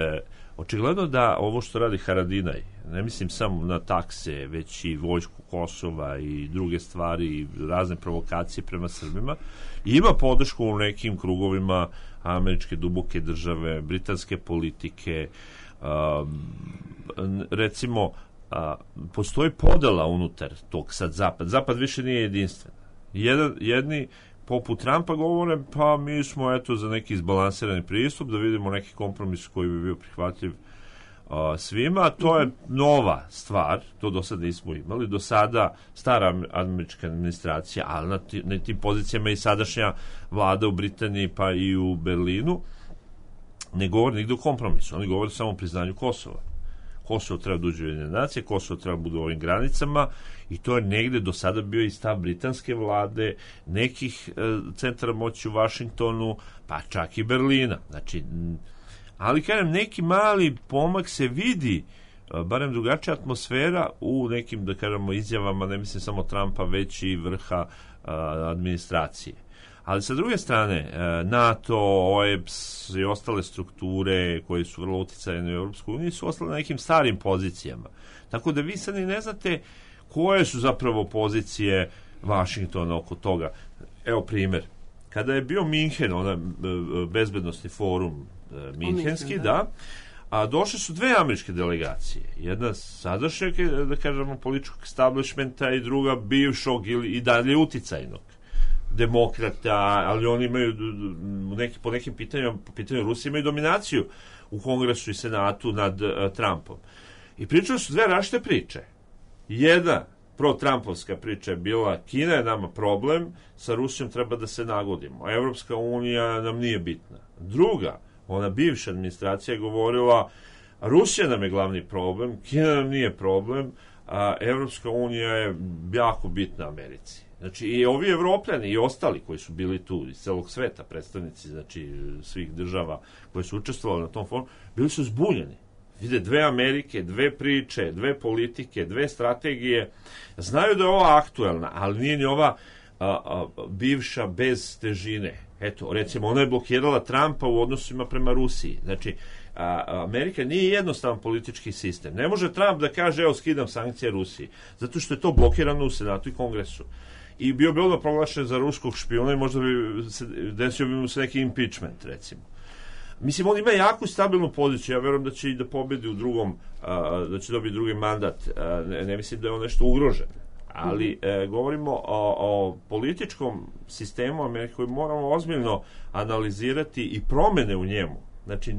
očigledno da ovo što radi Haradinaj, ne mislim samo na takse, već i vojsku Kosova i druge stvari i razne provokacije prema Srbima, ima podršku u nekim krugovima američke duboke države, britanske politike. Recimo, postoji podela unutar tog sad Zapad više nije jedinstven. Jedni poput Trumpa govore, pa mi smo eto za neki izbalansirani pristup, da vidimo neki kompromis koji bi bio prihvatljiv svima. To je nova stvar, to do sada nismo imali. Do sada stara američka administracija, ali na tim pozicijama i sadašnja vlada u Britaniji pa i u Berlinu ne govori nigde o kompromisu, oni govore samo o priznanju Kosova. Kosovo treba da uđe u Ujedinjene nacije, Kosovo treba da bude u ovim granicama i to je negde do sada bio i stav britanske vlade, nekih centara moći u Vašingtonu, pa čak i Berlina. Znači, ali kažem, neki mali pomak se vidi, barem drugačija atmosfera u nekim, da kažemo, izjavama, ne mislim samo Trumpa, već i vrha administracije. Ali sa druge strane, NATO, OEBS i ostale strukture koje su vrlo uticajne u Europskoj uniji su ostale na nekim starim pozicijama. Tako da vi sad ne znate koje su zapravo pozicije Vašingtona oko toga. Evo primjer. Kada je bio Minhen, onaj bezbednosni forum minhenski, da, a došle su dve američke delegacije. Jedna sadašnjeg, da kažemo, političkog establishmenta i druga bivšog ili i dalje uticajnog demokrata, ali oni imaju po nekim pitanjima, po pitanju Rusije imaju dominaciju u Kongresu i Senatu nad Trumpom. I pričali su dve različite priče. Jedna pro-Trumpovska priča je bila Kina je nama problem, sa Rusijom treba da se nagodimo. Evropska unija nam nije bitna. Druga, ona bivša administracija je govorila Rusija nam je glavni problem, Kina nam nije problem, a Evropska unija je jako bitna Americi. Znači, i ovi Evropljani i ostali koji su bili tu iz celog sveta, predstavnici, znači, svih država koji su učestvovali na tom forumu, bili su zbuljeni. Vide dve Amerike, dve priče, dve politike, dve strategije. Znaju da je ova aktuelna, ali nije ni ova bivša bez težine. Eto, recimo, ona je blokirala Trumpa u odnosima prema Rusiji. Znači, Amerika nije jednostavan politički sistem. Ne može Trump da kaže, evo, skidam sankcije Rusiji, zato što je to blokirano u Senatu i Kongresu. I bio bi odmah proglašen za ruskog špijuna i možda bi desio bi mu se neki impeachment, recimo. Mislim, on ima jaku stabilnu poziciju, ja verujem da će i da pobedi u drugom, da će dobiti drugi mandat, ne mislim da je on nešto ugrožen, ali govorimo o političkom sistemu Amerike koji moramo ozbiljno analizirati i promene u njemu. Znači,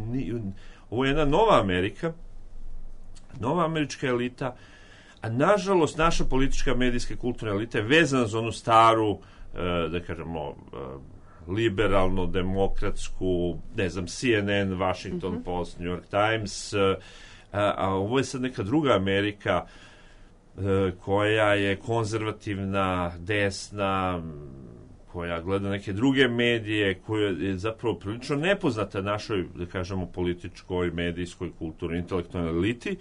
ovo je jedna nova Amerika, nova američka elita, a nažalost naša politička, medijska, kulturna elita je vezana za onu staru, da kažemo, liberalno, demokratsku, ne znam, CNN, Washington Post, New York Times, a ovo je sad neka druga Amerika koja je konzervativna, desna, koja gleda neke druge medije, koja je zapravo prilično nepoznata našoj, da kažemo, političkoj, medijskoj, kulturnoj, intelektualnoj eliti.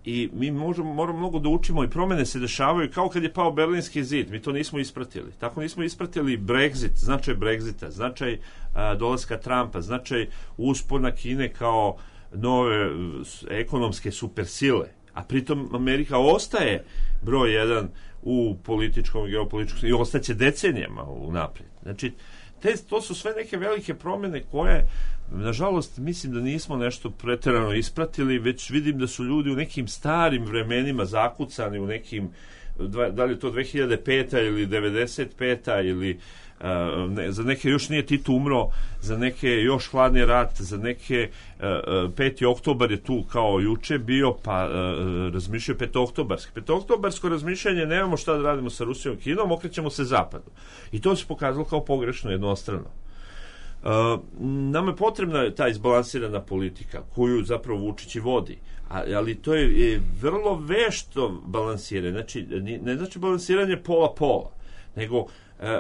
I mi moramo mnogo da učimo i promene se dešavaju kao kad je pao Berlinski zid. Mi to nismo ispratili. Tako nismo ispratili Brexit, značaj Brexita, značaj dolaska Trumpa, značaj uspona Kine kao nove ekonomske supersile. A pritom Amerika ostaje broj 1 u političkom i geopolitičkom i ostaće decenijama unaprijed. Znači, to su sve neke velike promene koje, nažalost, mislim da nismo nešto preterano ispratili, već vidim da su ljudi u nekim starim vremenima zakucani u nekim, da li je to 2005. ili 95. ili za neke još nije Tito umro, za neke još hladni rat, za neke 5. oktobar je tu kao juče bio, pa razmišljaju petooktobarski. Petooktobarsko razmišljanje, nemamo šta da radimo sa Rusijom i Kinom, okrećemo se zapadu. I to se pokazalo kao pogrešno, jednostrano. Nama je potrebna ta izbalansirana politika koju zapravo Vučić i vodi, ali to je vrlo vešto balansiranje. Znači, ne znači balansiranje pola-pola, nego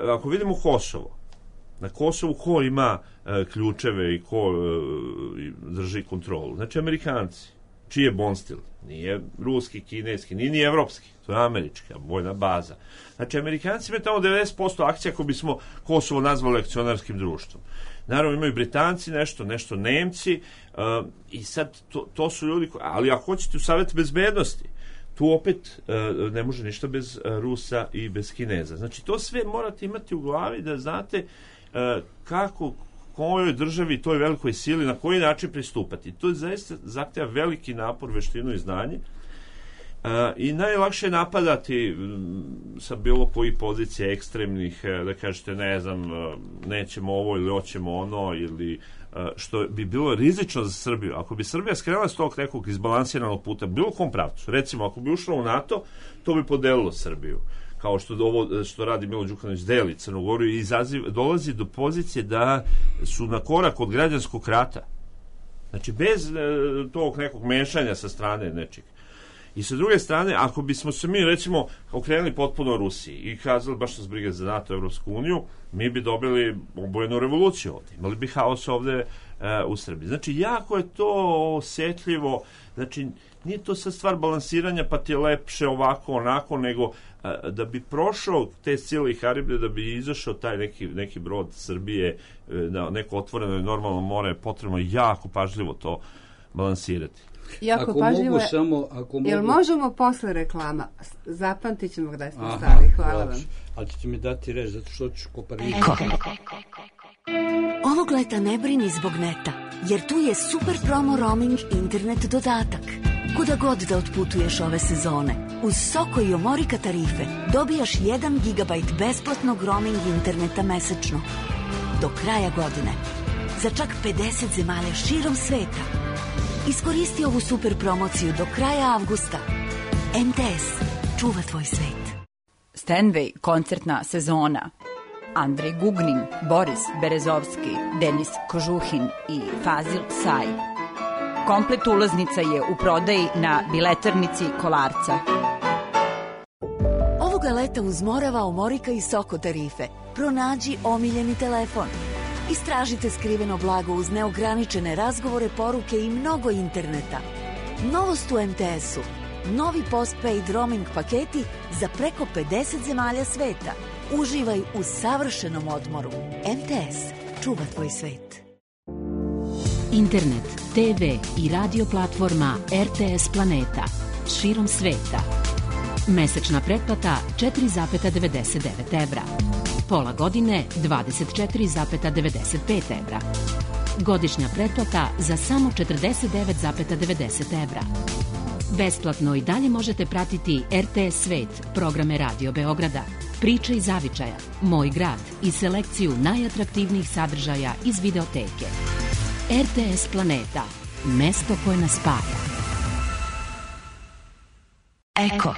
ako vidimo Kosovo, na Kosovu ko ima ključeve i ko drži kontrolu? Znači, Amerikanci. Čiji je Bonstil? Nije ruski, kineski, nije ni evropski. To je američka vojna baza. Znači, Amerikanci imaju tamo 90% akcija ako bismo Kosovo nazvali akcionarskim društvom. Naravno, imaju Britanci nešto Nemci, i sad to su ljudi ali ako hoćete u Savet bezbednosti, tu opet ne može ništa bez Rusa i bez Kineza. Znači, to sve morate imati u glavi da znate kako, kojoj državi, toj velikoj sili, na koji način pristupati. To je zaista zahteva veliki napor, veštinu i znanje. I najlakše je napadati sa bilo koji pozicije ekstremnih, da kažete, ne znam, nećemo ovo ili hoćemo ono, ili što bi bilo rizično za Srbiju. Ako bi Srbija skrenula s tog nekog izbalansiranog puta, bilo kom pravcu, recimo, ako bi ušla u NATO, to bi podelilo Srbiju. Kao što radi Milo Đukanović, deli Crnu Goru i dolazi do pozicije da su na korak od građanskog rata. Znači, bez tog nekog mešanja sa strane nečeg. I sa druge strane, ako bismo se mi, recimo, okrenuli potpuno Rusiji i kazali baš nas briga za NATO, Evropsku uniju, mi bi dobili obojenu revoluciju ovde. Imali bi haos ovde u Srbiji. Znači, jako je to osetljivo. Znači, nije to sad stvar balansiranja, pa ti je lepše ovako, onako, nego da bi prošao te sile i Haribre, da bi izašao taj neki brod Srbije na neko otvoreno i normalno more, je potrebno jako pažljivo to balansirati. Jako ako pažljivo mogu samo... Jel možemo posle reklama? Zapamtit ćemo gdje smo stali. Hvala vam. Ali ćete mi dati reč, zato što ću kopariti. Ovog leta ne brini zbog neta, jer tu je super promo roaming internet dodatak. Kuda god da otputuješ ove sezone, uz Soko i Omorika tarife dobijaš 1 GB besplatnog roaming interneta mesečno. Do kraja godine. Za čak 50 zemalja širom sveta. Iskoristi ovu super promociju do kraja avgusta. MTS. Čuva tvoj svet. Stanway koncertna sezona. Andrej Gugnin, Boris Berezovski, Denis Kožuhin i Fazil Saj. Komplet ulaznica je u prodaji na biletarnici Kolarca. Ovoga leta uz Morava, Omorika i Soko tarife pronađi omiljeni telefon. Istražite skriveno blago uz neograničene razgovore, poruke i mnogo interneta. Novost u MTS-u. Novi postpaid roaming paketi za preko 50 zemalja sveta. Uživaj u savršenom odmoru. MTS. Čuva tvoj svet. Internet, TV i radio platforma RTS Planeta. Širom sveta. Mesečna pretplata 4,99 evra. Pola godine 24,95 evra. Godišnja pretplata za samo 49,90 evra. Besplatno i dalje možete pratiti RTS Svet, programe Radio Beograda, Priče iz Zavičaja, Moj grad i selekciju najatraktivnijih sadržaja iz videoteke. RTS Planeta, mesto koje nas spaja. Eko.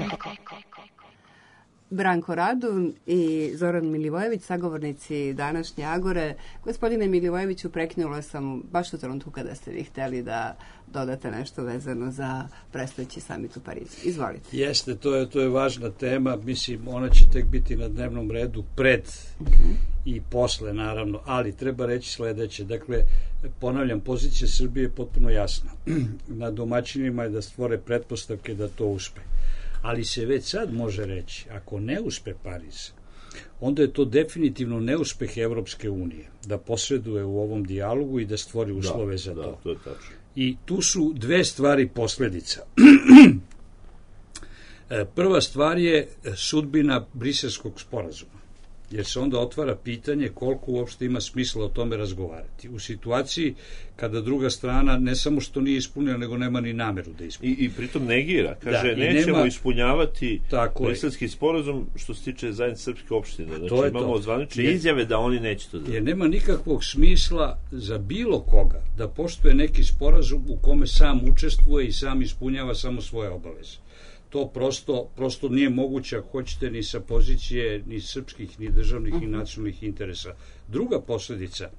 Branko Radun i Zoran Milivojević, sagovornici današnje Agore. Gospodine Milivojeviću, prekinula sam baš u trenutku kada ste vi hteli da dodate nešto vezano za predstojeći samit u Parizu. Izvolite. Jeste, to je važna tema. Mislim, ona će tek biti na dnevnom redu pred i posle, naravno, ali treba reći sledeće. Dakle, ponavljam, pozicija Srbije je potpuno jasna. Na domaćinima je da stvore pretpostavke da to uspe. Ali se već sad može reći, ako ne uspe Pariz, onda je to definitivno neuspeh Evropske unije, da posreduje u ovom dijalogu i da stvori uslove za to. To je tačno. I tu su dve stvari posledica. Prva stvar je sudbina Briselskog sporazuma, jer se onda otvara pitanje koliko uopšte ima smisla o tome razgovarati. U situaciji kada druga strana ne samo što nije ispunila, nego nema ni nameru da ispuni. I pritom negira. Kaže, nećemo ispunjavati Briselski sporazum što se tiče zajednice srpske opštine. Znači imamo zvanične izjave da oni neće to da. Jer nema nikakvog smisla za bilo koga da poštuje neki sporazum u kome sam učestvuje i sam ispunjava samo svoje obaveze. To prosto nije moguće, ako hoćete, ni sa pozicije ni srpskih, ni državnih, ni nacionalnih interesa. Druga posledica,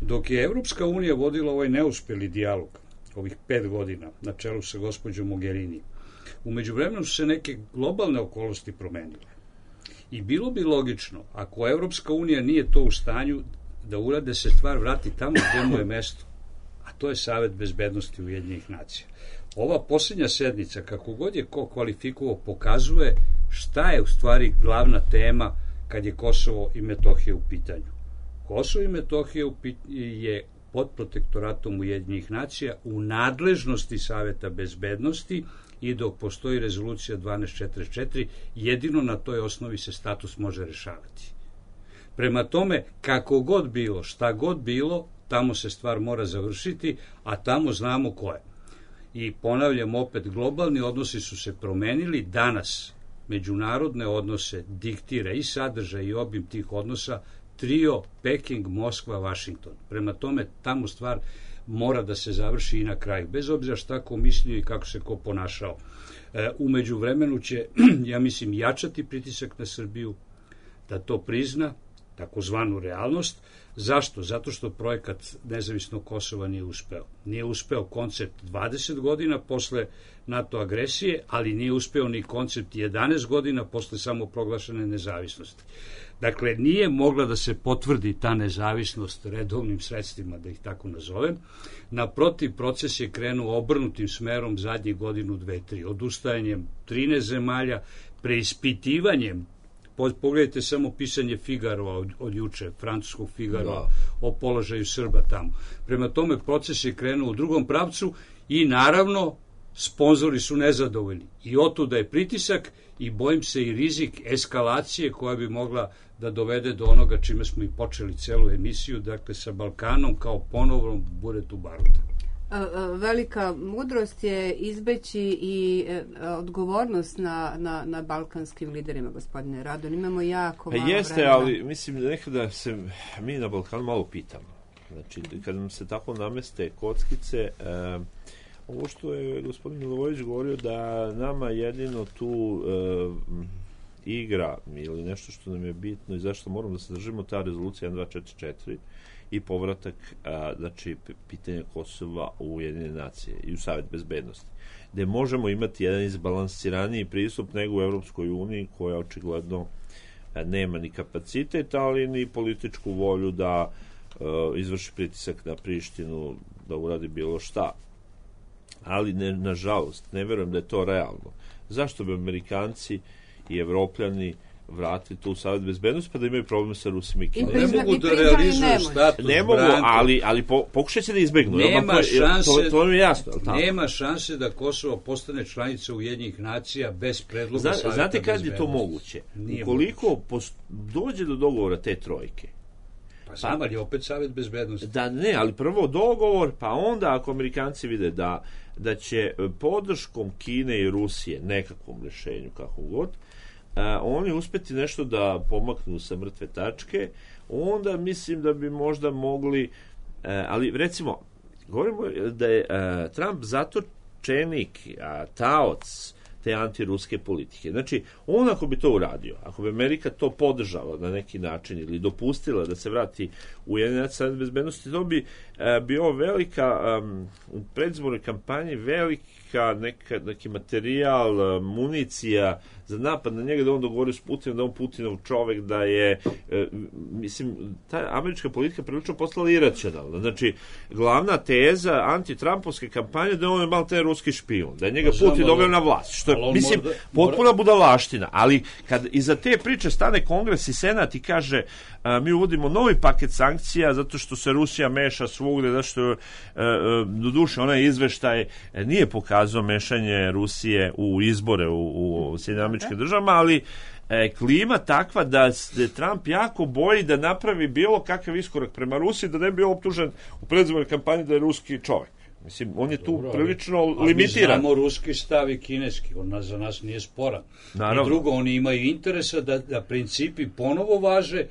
dok je Evropska unija vodila ovaj neuspeli dijalog, ovih 5 godina, na čelu sa gospođom Mogherini, u međuvremenu su se neke globalne okolnosti promenile. I bilo bi logično, ako Evropska unija nije to u stanju da urade, se stvar vrati tamo gde mu je mesto, a to je Savet bezbednosti Ujedinjenih nacija. Ova posljednja sednica, kako god je ko kvalifikovao, pokazuje šta je u stvari glavna tema kad je Kosovo i Metohija u pitanju. Kosovo i Metohija je pod protektoratom Ujedinjenih nacija u nadležnosti Saveta bezbednosti i dok postoji rezolucija 1244, jedino na toj osnovi se status može rešavati. Prema tome, kako god bilo, šta god bilo, tamo se stvar mora završiti, a tamo znamo ko je. I ponavljam opet, globalni odnosi su se promenili. Danas međunarodne odnose diktira i sadržaj i obim tih odnosa trio Peking, Moskva, Vašington. Prema tome, tamo stvar mora da se završi i na kraju, bez obzira šta ko mislio i kako se ko ponašao. U međuvremenu će, ja mislim, jačati pritisak na Srbiju da to prizna, takozvanu realnost. Zašto? Zato što projekat nezavisnog Kosova nije uspeo. Nije uspeo koncept 20 godina posle NATO agresije, ali nije uspeo ni koncept 11 godina posle samoproglašene nezavisnosti. Dakle, nije mogla da se potvrdi ta nezavisnost redovnim sredstvima, da ih tako nazovem. Naprotiv, proces je krenuo obrnutim smerom zadnjih godinu, 2-3, odustajanjem 13 zemalja, preispitivanjem. Pogledajte samo pisanje Figaro od juče, francuskog Figaro, o položaju Srba tamo. Prema tome, proces je krenuo u drugom pravcu i naravno sponzori su nezadovoljni. I otuda je pritisak i bojim se i rizik eskalacije koja bi mogla da dovede do onoga čime smo i počeli celu emisiju, dakle sa Balkanom kao ponovnom buretu baruta. Velika mudrost je izbeći i odgovornost na balkanskim liderima, gospodine Radon. Imamo jako malo vremena. Jeste, ali mislim da nekada se mi na Balkanu malo pitamo. Znači, kad nam se tako nameste kockice, ovo što je gospodin Milivojević govorio da nama jedino tu igra ili nešto što nam je bitno i zašto moramo da se držimo ta rezolucija 1244 i povratak, znači, pitanja Kosova u Ujedinjene nacije i u Savet bezbednosti, gde možemo imati jedan izbalansiraniji pristup nego u Evropskoj uniji, koja očigledno nema ni kapacitet, ali ni političku volju da izvrši pritisak na Prištinu, da uradi bilo šta. Ali, nažalost, ne verujem da je to realno. Zašto bi Amerikanci i Evropljani vratiti tu u Savet bezbednosti pa da imaju problem sa Rusima i Kinom? Ne mogu da realizuju status. Ne mogu, ali pokušajte da izbegnu. Nema šanse da Kosovo postane članica Ujedinjenih nacija bez predloga Saveta bezbednosti. Znate kad je to moguće? Ukoliko dođe do dogovora te trojke, Pa znam, ali opet Savet bezbednosti. Da, ne, ali prvo dogovor, pa onda ako Amerikanci vide da će podrškom Kine i Rusije, nekakvom rešenju, kako god, oni uspeti nešto da pomaknu sa mrtve tačke, onda mislim da bi možda mogli, ali recimo, govorimo da je Trump zatočenik, taoc te antiruske politike. Znači, on ako bi to uradio, ako bi Amerika to podržala na neki način ili dopustila da se vrati u Ujedinjeni Savet bezbednosti, to bi bio velika, u predizbornoj kampanji velika neki materijal, municija za napad na njega, da on dogovorio s Putinom, da on Putinov čovek, da je, mislim, ta američka politika prilično postala iracionalna. Znači, glavna teza antitrampovske kampanje da on je malo taj ruski špijun, da je njega Putin doveo na vlast, što je, mislim, potpuna budalaština, ali kad iza te priče stane Kongres i Senat i kaže mi uvodimo novi paket sankcija zato što se Rusija meša svugde, zato što doduše onaj izveštaj nije pokazao mešanje Rusije u izbore u Sjedinjenim Američkim Državama, ali klima takva da se Trump jako boji da napravi bilo kakav iskorak prema Rusiji, da ne bi bio optužen u predizbornoj kampanji da je ruski čovek. Mislim, on je tu prilično limitiran. Mi znamo ruski stav i kineski, on za nas nije sporan. Naravno. I drugo, oni imaju interesa da principi ponovo važe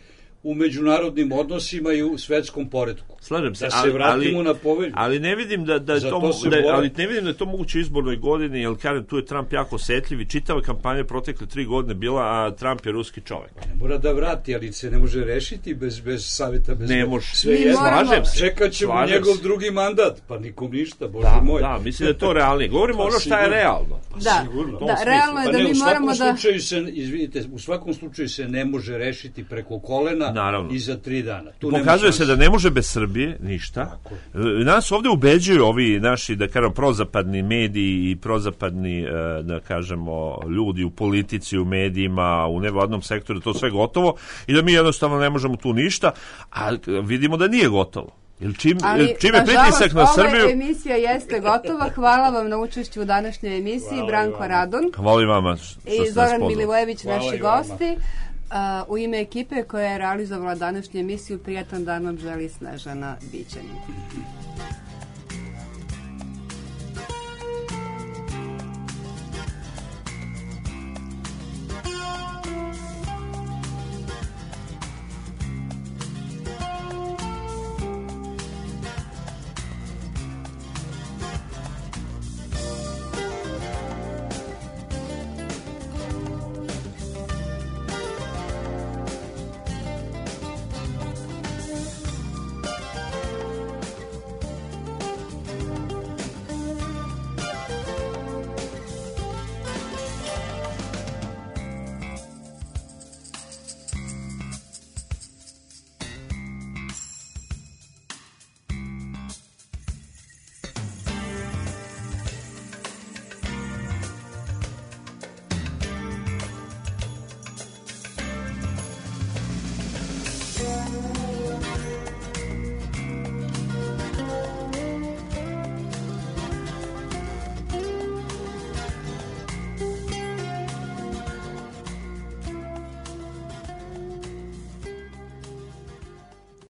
u međunarodnim odnosima i u svetskom poretku. Slažem se, da se vratimo na povelju. Ali ne vidim da je to moguće u izbornoj godini, jer kažem, tu je Trump jako osetljiv i čitava kampanja protekle 3 godine bila, a Trump je ruski čovek. Ne mora da vrati, ali se ne može rešiti bez saveta. Ne može. Slažem se. Čekat ćemo njegov drugi mandat, pa nikom ništa, Bože moj. Da, mislim da je to realnije. Govorimo ono šta je realno. Da, realno je da mi moramo da... U svakom slučaju se ne može rešiti preko kolena i za 3 dana. Pokazuje se da ne može bez Srbije ništa. Nas ovdje ubeđuju ovi naši, da kažem, prozapadni mediji i prozapadni, da kažemo, ljudi u politici, u medijima, u nevladnom sektoru, to sve gotovo i da mi jednostavno ne možemo tu ništa, a vidimo da nije gotovo. Čim je pritisak na Srbiju... Ova emisija jeste gotova. Hvala vam na učešću u današnjoj emisiji. Branko Radon. Hvala i vama. I Zoran Milivojević, naši gosti. U ime ekipe koja je realizovala današnju emisiju, prijatan dan vam želi Snežana Bićanin.